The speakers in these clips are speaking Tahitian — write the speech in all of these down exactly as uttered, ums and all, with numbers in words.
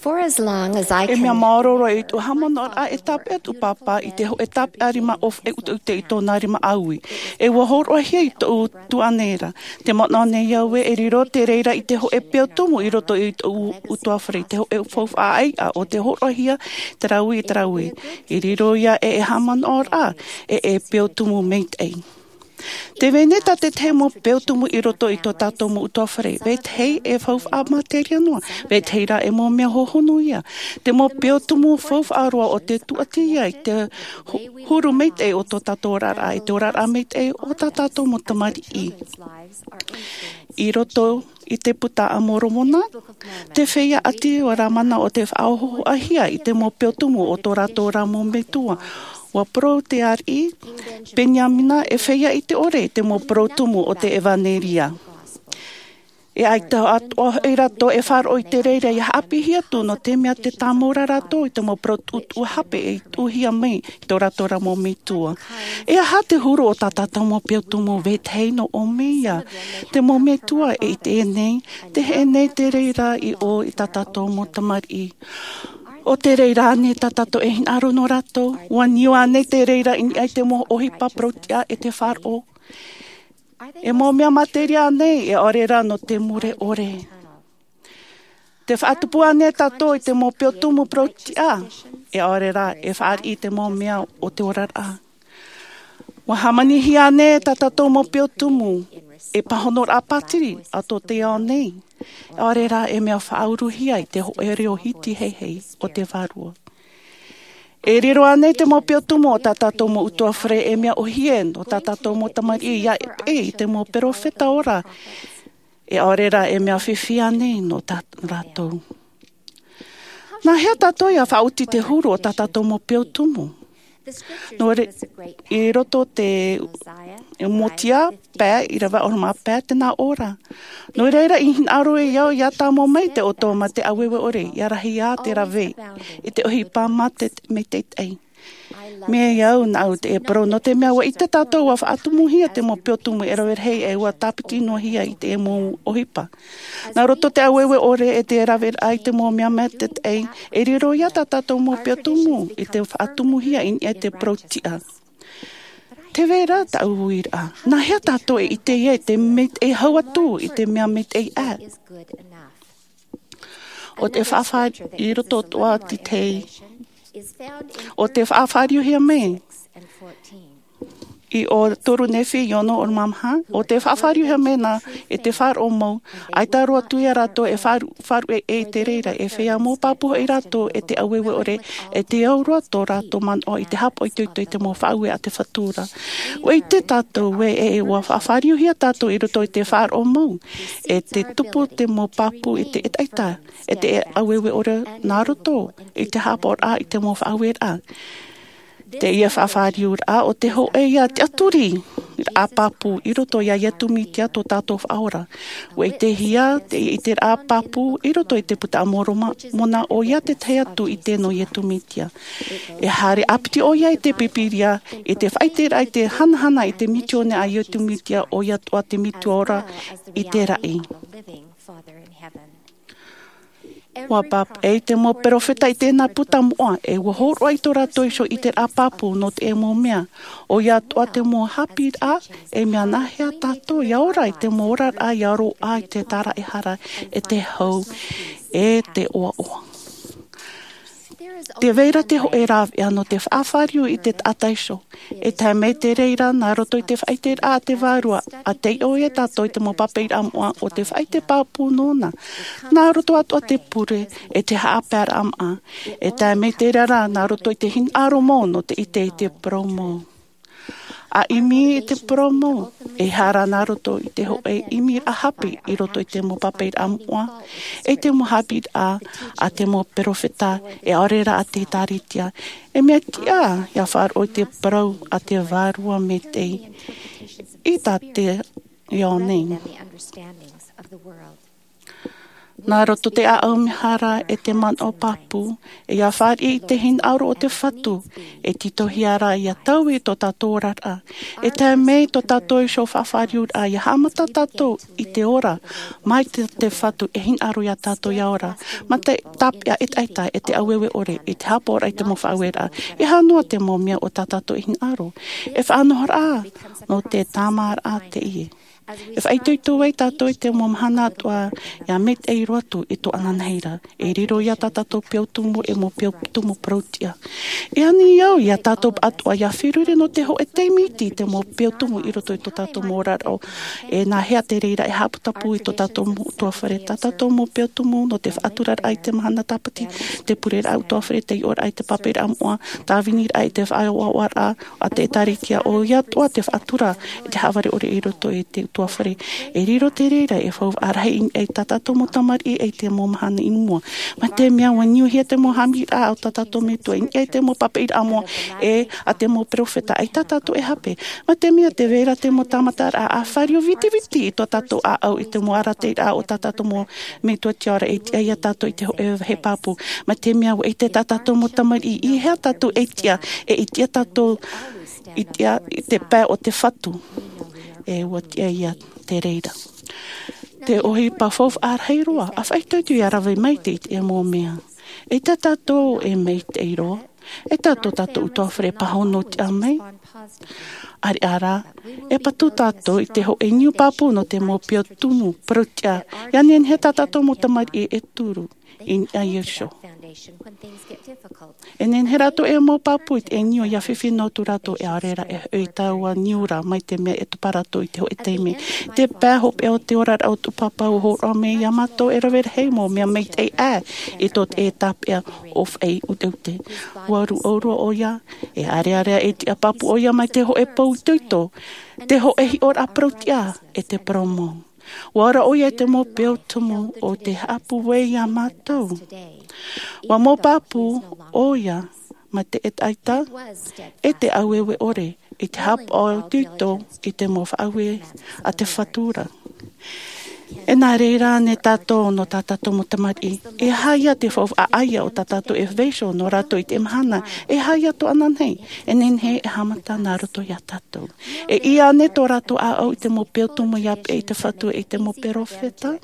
For as long as I can. E mea maoro roa i tōʻu haʻamanaʻoraʻa e tāpeʻa tōʻu pāpā i te hōʻē tāpeʻa rima ʻōfaʻi ʻuteʻute i tōna rima ʻāui. E ua hōroʻahia i tōʻu tuahine ra te manaʻo nei au ē, e riro te reira i te hōʻē peu tumu i roto i tōʻu utuāfare, i te hōʻē faufaʻa ʻāiʻa o te hōroʻahia te rāveʻa, te rāveʻa. I riro ia e e haʻamanaʻoraʻa e e peu tumu maitaʻi. Tē vai nei tā te tahi mau peu tumu i roto i tō tātou mau utuāfare, vetahi e faufaʻa materia noa, vetahi rā e mau mea hohonu ia. Te mau peu tumu faufaʻa roa o te tūʻati ia i te hu-, huru maitaʻi o tō tātou oraraʻa, i te oraraʻa maitaʻi o tā tātou mau tamariʻi. I roto i te Puta a Moromona, te feiā ʻāti o Lamana o te faʻahohoʻahia i te mau peu tumu o tō rātou ra mau metua. Ua parau te ariʻi Peniamina e feiā i te ʻore i te mau peu tumu o te ʻevanelia. E ʻaita atoʻa hoʻi rātou e faʻaroʻo i te reira ia haʻapiʻihia atu, nō te mea tē tāmau ra rātou i te mau parau tuʻutuʻu hape e tuʻuhia mai i tō rātou ra mau metua. E aha te huru o tā tātou mau peu tumu? Vetahi noa ʻō mai ia. Te mau metua e ʻite nei, tē heʻe nei te reira i ʻō i tā tātou mau tamariʻi. ʻO te reira ānei tā tātou e hinaʻaro nō rātou? Ua niu ānei te reira i niʻa i te mau ʻohipa parau-tiʻa e te faʻaroʻo? E mau mea materia ānei, e ʻaore rā nō te mure ʻore? Tē faʻatupu ānei tātou i te mau peu tumu parau-tiʻa, e ʻaore rā e fāriʻi i te mau mea o te oraraʻa? Ua hāmanihia ānei tā tātou mau peu tumu e pāhonoraʻa pātiri a tō te ao nei, e ʻaore rā e mea faʻauruhia i te hōʻē reo hiti heihei o te Vārua? E riro ānei te mau peu tumu o tā tātou mau utuāfare e mea ʻōhie nō tā tātou mau tamariʻi ia peʻe i te mau perofeta ora, e ʻaore rā e mea fifi ānei nō tā rātou? Nā hea tātou ia faʻaoti te huru o tā tātou mau peu tumu? Nō re-, i roto te Mōsaia pae, ʻīrava ʻahuru mā pae, tē nā ʻō ra: Nō reira, i hinaʻaro au ia tāmau mai te ʻoto ma te ʻāueue ʻore, ia rahi ā te rave i te ʻohipa ma te, ma te maitaʻi. Mai au nāʻu te parau, nō te mea ua ʻite tātou ua faʻatumuhia te mau peu tumu e rave rahi, e ua tāpiti noa hia i te mau ʻohipa. Nā roto te ʻāueue ʻore e te raveraʻa i te mau mea maitaʻi, e riro ia tā tātou mau peu tumu i te faʻatumuhia i niʻa i te parau-tiʻa. Tē vai ra taʻu uiraʻa. Nā hea tātou e ʻite ia i te maitaʻi hau atu i te mea maitaʻi ʻā? ʻO te faʻafāriu i roto atoʻa te tei. ʻO te faʻafāriuhia mai i ʻo toru Nephi i ono ʻahuru mā maha, ʻo te faʻafāriuhia mai nā, e te faʻaroʻo mau, ʻaita roa atu ia rātou e faʻaru-, faʻaruʻe i te reira, e feiā mau pāpū hoʻi rātou e te ʻāueue ʻore, e te au roa tō rātou manaʻo i te haʻapaʻo itoito i te mau faʻaue a te Fatu ra. ʻUa ʻite tātou ē, e, e ua faʻafāriuhia tātou i roto i te faʻaroʻo mau, e te tupu te mau pāpū i te ʻetaʻeta, e te ʻāueue ʻore nā roto i te haʻapaʻoraʻa i te mau faʻaueraʻa. Teie faʻafāriuraʻa ʻo te hōʻē ia tiʻaturiraʻa pāpū i roto ia Iesu Mesia tō tātou Faʻaora. ʻUa ʻitehia teie ʻiteraʻa pāpū i roto i te Puta a Moromona, ʻoia te tahi atu ʻite nō Iesu Mesia. E haere ʻāpiti ʻoia i te Pīpīria, i te faʻaʻiteraʻa, i te hanahana i te misiōni a Iesu Mesia, ʻoia atoʻa te metua ora i te raʻi. ʻUa pāpaʻi te mau perofeta i tēnā puta moʻa, e ʻua hōroʻa i tō rātou iho ʻiteraʻa pāpū nō te mau mea. ʻOia atoʻa te mau haʻapiʻiraʻa, e mea nā hea tātou ia ora i te mau oraraʻa, ia roaʻa i te tāraʻehara, e te hau, e te ʻoaʻoa. Tē vai ra te hōʻē rāveʻa nō te faʻafāriu i te taʻata iho. E tae mai te reira, nā roto i te faʻaʻiteraʻa a te Vārua, ʻa taiʻo ia tātou i te mau pāpaʻiraʻa moʻa o te faʻaʻite pāpū nōna. Nā roto atoʻa te pure, e te haʻapaeraʻa maʻa. E tae mai te reira, nā roto i te hinaʻaro mau nō te ʻite i te parau mau. ʻA ʻimi i te parau mau, e haere nā roto i te hōʻē ʻimiraʻa hape i roto i te mau pāpaʻiraʻa moʻa, e te mau haʻapiʻiraʻa a te mau perofeta, e ʻaore rā a te ʻĒkālesia. E mea tiʻa ia faʻaroʻo i te parau a te Vārua maitaʻi i tā te ao nei. Nā roto te ʻāʻau mehara e te manaʻo pāpū, e ia fāriʻi i te hinaʻaro o te Fatu, e tītauhia rā ia taui tō tātou oraraʻa. E tae mai tō tātou iho faʻafāriuraʻa, ia haʻamata tātou i te ora, mai te, te Fatu e hinaʻaro ia tātou ia ora. Mā te tāpeʻa ʻetaʻeta, e te ʻaueue ʻore, i te haʻapaʻoraʻa i te mau faʻaueraʻa. E aha noa te mau mea o tā tātou e hinaʻaro. E faʻanahoraʻa, nō te tāmāraʻa teie. E faʻaitoito ai tātou i te mau mahana atoʻa, ia maitaʻi roa atu i tō ananahi ra. E riro ia tā tātou peu tumu e mau peu tumu parauʻtiʻa. E ani au ia tātou atoʻa ia feruri nō te hōʻē taime iti i te mau peu tumu i roto i tō tātou mau oraraʻa. E nāhea te reira e haʻaputapū i tō tātou mau ʻutuāfare, tā tātou mau peu tumu nō te faʻaturaraʻa i te mahana tāpati, te pureraʻa ʻutuāfare, te iʻoraʻa i te pāpaʻiraʻa moʻa, tāviniraʻa i te faʻaʻoaʻoaraʻa a te ʻĒtārētia, ʻoia atoʻa te faʻatura i te haʻavare ʻore i roto i te ʻutuāfare. E riro te reira e faufaʻa rahi i niʻa i tā tātou mau tamariʻi i te mau mahana i mua. Mā te mea ʻua niuhia te mau haʻamaitaʻiraʻa o tā tātou Metua i niʻa i te mau pāpaʻiraʻa moʻa, e a te mau perofeta, ʻaita tātou e hape. Mā te mea tē vai ra te mau tāmataraʻa ʻa fāriu vitiviti i tō tātou ʻāʻau i te mau arataʻiraʻa o tā tātou mau Metua tiʻa ra, e tiʻa ia tātou i te hōʻē vāhi pāpū. Mā te mea ʻua ʻite tā tātou mau tamariʻi i hea tātou e tiʻa, e i tiʻa tātou i tiʻa i te pae o te Fatu. E ʻua tiʻa ia te reira. Te ʻohipa faufaʻa rahi roa, ʻa faʻaitoito ia rave maitaʻi i te mau mea. E tā tātou e maitaʻi roa, e tā tō tātou ʻutuāfare pāhono tiʻa mai. ʻAreʻa rā, e patu tātou i te hōʻē niu pāpū nō te mau peu tumu parauʻtiʻa, ia nehenehe tā tātou mau tamariʻi e turu i niʻa iho. E nehenehe rātou e mau pāpū i te niu ia fifi noa atu rātou, e ʻaore rā e hoʻi taua niu ra, mai te mea e topa rātou i te hōʻē taime. Te pae hopeʻa o te oraraʻa o tō pāpā ʻua hōroʻa mai ia mātou e rave rahi mau mea maitaʻi ʻā i tō te tāpeʻa ʻo Faʻaʻiteʻite. ʻUa rūʻau roa ʻoia, e ʻareʻa rā e tiʻa pāpū ʻoia mai te hōʻē pou itoito, te hōʻē hiʻoraʻa parauʻtiʻa, e te parau mau. ʻUa ora ʻoia i te mau peu tumu o te haʻapūai ia mātou. ʻUa mau pāpū ʻoia mā te ʻetaʻeta, e te ʻaueue ʻore, i te haʻapaʻo itoito i te mau faʻaue a te Fatu ra. E nā reira ānei tātou nō tā tātou mau tamariʻi? E aha ia te faufaʻa ʻāiʻa o tā tātou e vaiiho nō rātou i te mahana? E aha ia tō ananahi? E nehenehe e haʻamata nā roto ia tātou. E ʻī ānei tō rātou ʻāʻau i te mau peu tumu ia peʻe i te Fatu e i te mau perofeta?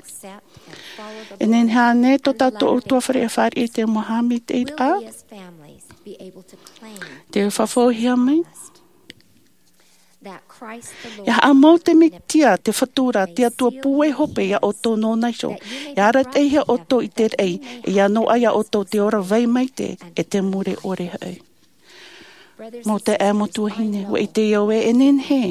E nehenehe ānei tō tātou ʻutuāfare e fāriʻi i te mau haʻamaitaʻiraʻa? Te fafauhia mai. Ia haʻamau te Mesia, te Fatu ra, te Atua pūai hope ia ʻoutou nōna iho. Ia arataʻihia ʻoutou i te raʻi, e ia noaʻa ia ʻoutou te ora vai maitaʻi, e te mure ʻore hoʻi. Mau taeaʻe, mau tuahine, ʻua ʻite au ē, e nehenehe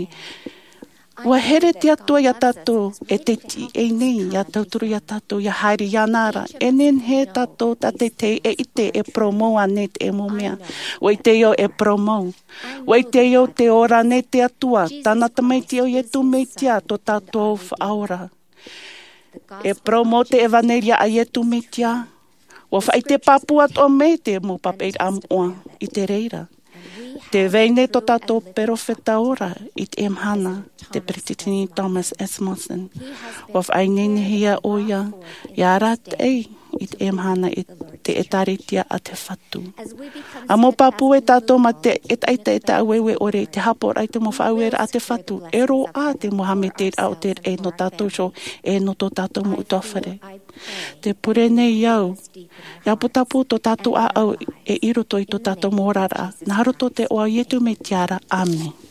ʻua here te Atua ia tātou, e tē tiʻa nei ia tauturu ia tātou, ia haere iāna ra. E nehenehe tātou tātaʻitahi e ʻite e parau mau ānei te mau mea. ʻUa ʻite au e parau mau. ʻUa ʻite au tē ora nei te Atua, tāna Tamaiti ʻo Iesu Mesia, tō tātou Faʻaora. E parau mau te ʻevanelia a Iesu Mesia. ʻUa faʻaʻite pāpū atoʻa mai te mau pāpaʻiraʻa moʻa i te reira. Tē vai nei tō tātou perofeta ora i teie mahana, te Peresideni Thomas S. Monson. ʻUa faʻaineinehia ʻoia, ia arataʻi i teie mahana i te ʻĒtārētia a te Fatu. ʻA mau pāpū e tātou mā te ʻetaʻeta, e te ʻaueue ʻore, i te haʻapaʻoraʻa i te mau faʻaueraʻa a te Fatu, e roaʻa te mau haʻamaitaʻiraʻa o te raʻi nō tātou iho, e nō tō tātou mau ʻutuāfare. Tē pure nei au, ia putapū tō tātou ʻāʻau e i roto i tō tātou mau oraraʻa, nā roto i te iʻoa o Iesu Mesia ra, ʻāmene.